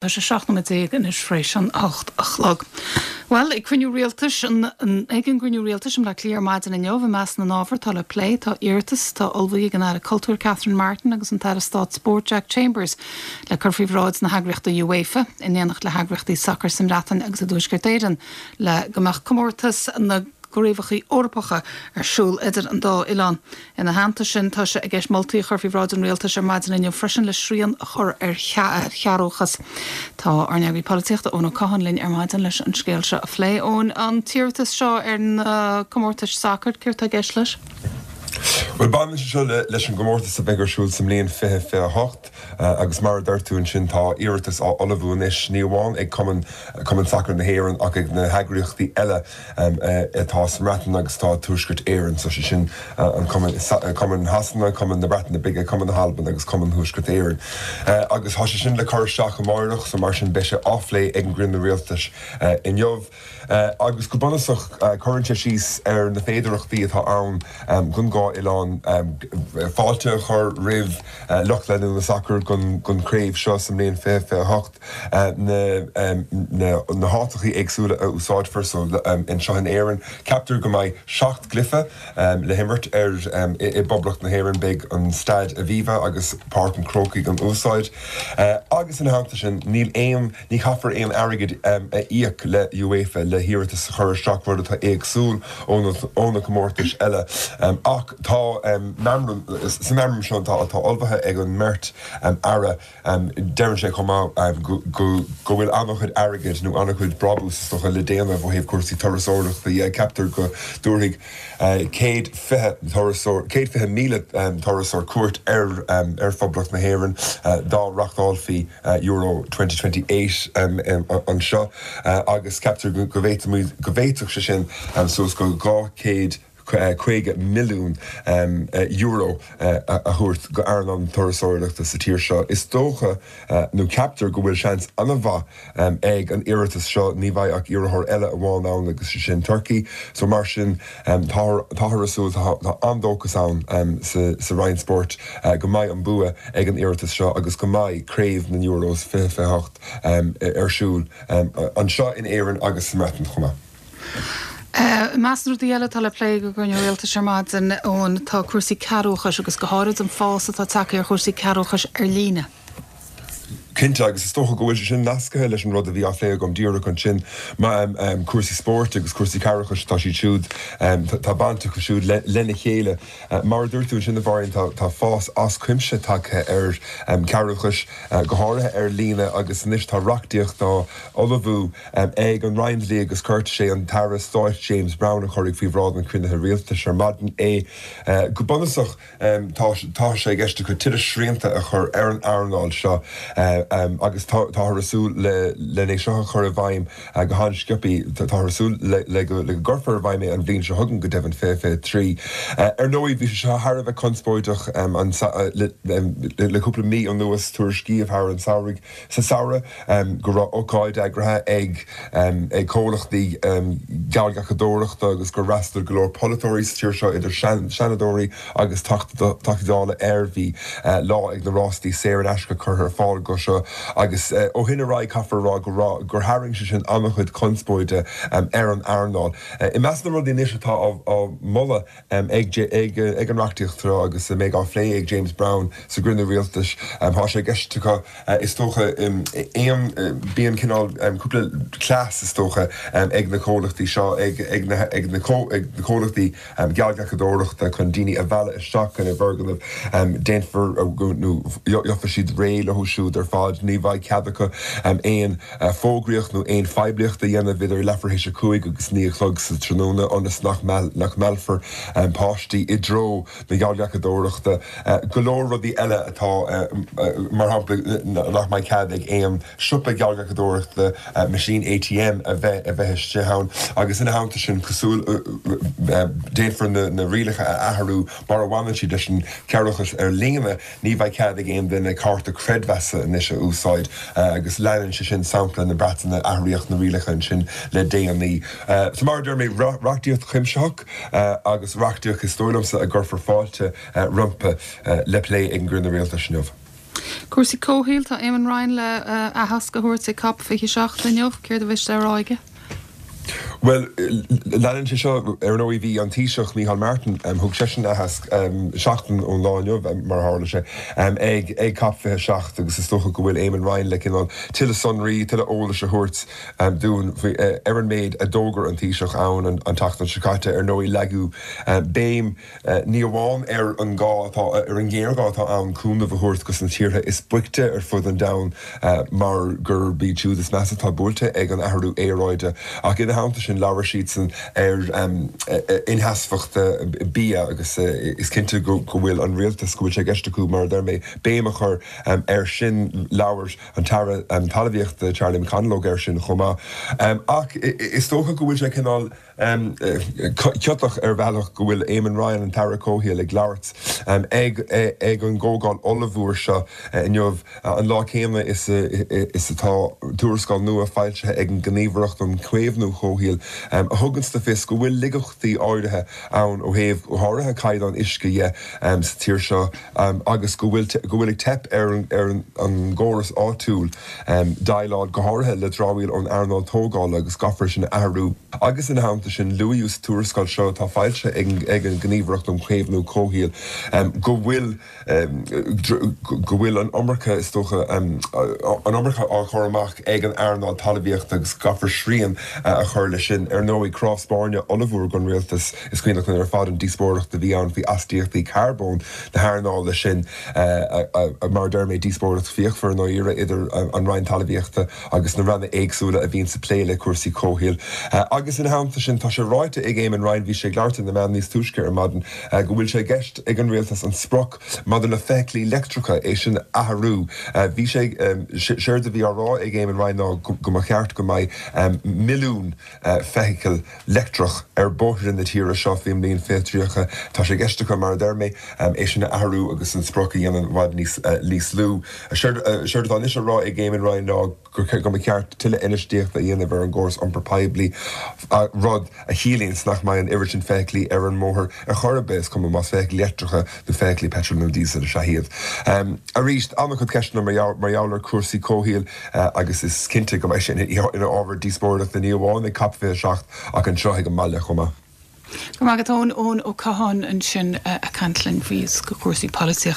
Tá sé 17 nóiméad anois tar éis an 8 a chlog. Bhuel, ag cruinniú rialtais an ag an gcruinniú rialtais i mBleá Cliath ar maidin inniu, i measc na n-ábhar atá le plé, tá iarratas atá ullmhaithe ag an Aire Cultúir Catherine Martin agus an tAire Stáit Spóirt Jack Chambers le cur faoi bhráid na heagraíochta UEFA, in éineacht le heagraíochtaí sacair sa mBreatain agus i dTuaisceart Éireann, le go mbeadh comórtas na gCraobhacha Eorpacha ar siúl idir an dá oileán. Ina theannta sin, tá sé i gceist moltaí a chur faoi bhráid an Rialtais ar maidin inniu freisin le srian a chur ar chearrbhachas. Tá ár n-eagraí polaitíochta Eoin Ó Catháin linn ar maidin leis an scéal seo a phlé. Eoin, an t-iarratas seo ar na comórtais sacair, céard tá i gceist leis? Bhuel, baineann sé seo leis an gcomórtas a bheidh ar siúl sa mbliain 2028 agus mar a deir tú ansin tá iarratas á ullmhú anois, ní amháin ag Cumann Cumann Sacair na hÉireann ach ag na heagraíochtaí eile atá sa mBreatain agus atá i dTuaisceart Éireann, so sé sin an Cumann, Cumann Shasana, Cumann na Breataine Bige, Cumann na hAlban agus Cumann Thuaisceart Éireann. Agus tá sé sin le cur isteach amáireach, so mar sin beidh sé á phlé ag an gcruinniú rialtais inniu. Agus go bunúsach cuireann sé síos ar na féidearthachtaí atá ann don dhá oileán fáilte a chur roimh lucht leanúna sacair don chraobh seo sa mbliain 2028. na háiteachaí éagsúla a úsáidfear so anseo in Éirinn. Ceaptar go mbeidh 7 gcluiche le himirt ar i bPoblacht na hÉireann. Beidh an Staid Aviva agus Páirc an Chrócaigh in úsáid. Agus ina theannta sin, níl aon, ní chaithfear aon airgead a íoc le UEFA le hiarratas a chur isteach, rud atá éagsúil ó na comórtais eile. Ach tá meamram, sa meamram seo atá ullmhaithe ag an mbeirt aire, Deireann sé chomh maith go bhfuil an-chuid airgid nó an-chuid brabús is dócha le déanamh ó thaobh cúrsaí turasóireachta dhe. Ceaptar go dtabharfaidh 120 turasóir, 120,000 turasóir cuairt ar Phoblacht na hÉireann dá reachtálfaí Euro 2028 anseo agus ceaptar go bhféadfadh sé sin suas go 200 €50 milliún a thabhairt go earnáil na turasóireachta sa tír seo. Is dócha, nó ceaptar, go bhfuil seans an-mhaith ag an iarratas seo. Ní bheidh ach iarrthóir eile amháin ann agus sé sin Turkey. So mar sin, táthar ag súil, tá an-dóchas ann sa Roinn Spóirt go mbeidh an bua ag an iarratas seo agus go mbeidh Craobh na Euros 2028 ar siúl anseo in Éirinn agus sa mBreatain chomh maith. I measc na rudaí eile atá le plé ag an gcruinniú rialtais ar maidin, Eoin, tá cúrsaí cearrbhachais agus go háirid an fás atá tagtha ar chúrsaí cearrbhachais ar líne. Cinnte, agus is dócha go bhfuil sé sin nasctha leis an rud a bhí á phlé agam díreach ansin, cúrsaí spóirt agus cúrsaí cearrbhachais, tá siad siúd, tá baint acu siúd lena chéile. Mar a dúirt tú ansin, a Mháirín, tá fás as cuimse tagtha ar chearrbhachas, go háirithe ar líne, agus anois tá reachtaíocht á ullmhú ag an Roinn Dlí agus Cirt. Sé an tAire Stáit James Browne a chuirfidh faoi bhráid an chruinnithe rialtais ar maidin é. Go bunúsach, tá sé i gceist acu tuilleadh srianta a chur ar an earnáil seo agus táthar ag súil len é seo a chur i bhfeidhm go han-sciobtha. Táthar ag súil le go gcuirfear i bhfeidhm é an bhliain seo chugainn, go deimhin, 2023. Ar ndóigh, bhí sé seo thar a bheith conspóideach le cúpla mí anuas, tuairiscíodh thar an samhradh, sa samhradh go raibh ócáid eagraithe ag ag comhlachtaí geallghlacadóireachta agus gur fhreastail go leor polaiteoirí sa tír seo, idir Seanadóirí agus Teachtaí Dála air. Bhí lá ag na rástaí saor in aisce curtha ar fáil go seo agus ó shin ar aghaidh caithfear a rá go raibh gur tharraing sé sin an-chuid conspóide ar an earnáil. I measc na rudaí anois atá á moladh ag ag an reachtaíocht seo agus a mbeidh á phlé ag James Browne sa gcruinniú rialtais. Tá sé i gceist acu, is dócha, aon, bíonn cineál cúpla cleas, is dócha, ag na comhlachtaí seo, ag ag na ag na comhlachtaí geallghlacadóireachta chun daoine a mhealladh isteach ina bhfoirgnimh. Déanfar nó gheobhaidh siad réidh leo siúd ar fad. Ní bheidh cead acu aon fógraíocht nó aon phoiblíocht a dhéanamh idir leathuair théis a 5 agus 9 a chlog sa tráthnóna ionas nach meallfar páistí i dtreo na geallghlacadóireachta. Go leor rudaí eile atá, mar shampla, nach mbeidh cead ag aon siopa geallghlacadóireachta meaisín ATM a bheith a bheith istigh ann agus ina theannta sin, cosúil, déanfar na rialacha a athrú mar a bhaineann siad leis an chearrbhachas ar líne. Ní bheidh cead ag aon duine cárta creidmheasa anois a úsáid agus leanann sé sin sampla na Breataine, athraíodh na rialacha ansin le déanaí. So mar a deir mé, reachtaíocht chuimsitheach agus reachtaíocht is dóigh liomsa a gcuirfear fáilte roimpi le plé ag an gcruinniú rialtais inniu. Cúrsaí comhshaoil, tá Eamon Ryan le aitheasc a thabhairt ag Cop 27 inniu. Céard a bheas le rá aige? Bhuel, leanann sé seo, ar ndóigh, bhí an Taoiseach Micheál Martin, thug seisean aitheasc seachtain ón lá inniu, mar a tharla sé, ag ag Cop 27 agus is dócha go bhfuil Eamon Ryan le cineál tuilleadh sonraí, tuilleadh eolais a thabhairt dúinn faoi ar an méid a d'fhógair an Taoiseach ann an tseachtain seo caite. Ar ndóigh, leagadh béim ní amháin ar an gá atá, ar an ngéarghá atá ann cúnamh a thabhairt dos na tíortha is boichte ar fud an domhain mar gurb iad siúd is measa atá buailte ag an athrú aeráide, ach ina theannta sin labhair siadsan ar insheasmhacht bia agus is cinnte go bhfuil an rialtas, go bhfuil sé i gceist acu, mar a deir mé, béim a chur air sin. Labhair an tAire Talmhaíochta Charlie McConalogue air sin chomh maith. Ach is dócha go bhfuil sé cineál. Ciotach ar bhealach go bhfuil Eamon Ryan, an tAire Comhshaoil, ag labhairt ag ag an gcomhdháil ollmhór seo inniu, an lá céanna is is atá tuarascáil nua foilsithe ag an nGníomhaireacht um Chaomhnú Comhshaoil a thuganns le fios go bhfuil laigeachtaí áirithe ann ó thaobh, go háirithe, caighdeán uisce dhe sa tír seo agus go bhfuil go bhfuil ag teip ar ar an gcóras áitiúil déileáil go háirithe le dramhaíl ón earnáil tógála agus caithfear sin a athrú. Agus ina theannta sin, luaíodh sa tuarascáil seo atá foilsithe ag an nGníomhaireacht um Chaomhnú Comhshaoil go bhfuil go bhfuil an iomarca, is dócha, an iomarca á chur amach ag an earnáil talmhaíochta agus go gcaithfear srian a chur leis sin. Ar ndóigh, cnámh spairne ollmhór don rialtas, is cuimhneach linn ar fad an díospóireacht a bhí ann faoi astaíochtaí carbóin na hearnála sin, mar a deir mé, díospóireacht fíochmhar i ndáiríre idir an Roinn Talmhaíochta agus na ranna éagsúla a bhíonns ag plé le cúrsaí comhshaoil. Agus ina theannta sin, tá sé ráite ag Eamon Ryan, bhí sé ag labhairt ar na meáin níos túisce ar maidin, go bhfuil sé i gceist ag an rialtas an sprioc maidir le feithiclí leictreacha, é sin a athrú. Bhí sé, séard a bhí á rá ag Eamon Ryan ná go mba cheart go mbeidh milliún feithicil leictreach ar bhóithre na tíre seo faoin mbliain 2030. Tá sé i gceist acu, mar a deir mé, é sin a athrú agus an sprioc a dhéanamh i bhfad níos lú. Séard atá anois á rá ag Eamon Ryan ná go mba cheart tuilleadh infheistíochta a dhéanamh ar an gcóras iompair poiblí, rud a chiallaíonns nach mbeidh an oiread sin feithiclí ar an mbóthar ar chor ar bith, is cuma más feithiclí leictreacha nó feithiclí peitril nó díosail is ea iad. Arís, an-chuid ceisteanna mar gheall ar chúrsaí comhshaoil. agus is cinnte go mbeidh sé ina ábhar díospóireachta ní amháin ag Cop 27 ach anseo ag an mbaile chomh maith. Go raibh maith agat Eoin, Eoin Ó Catháin ansin ag caint linn faoi chúrsaí polaitíochta.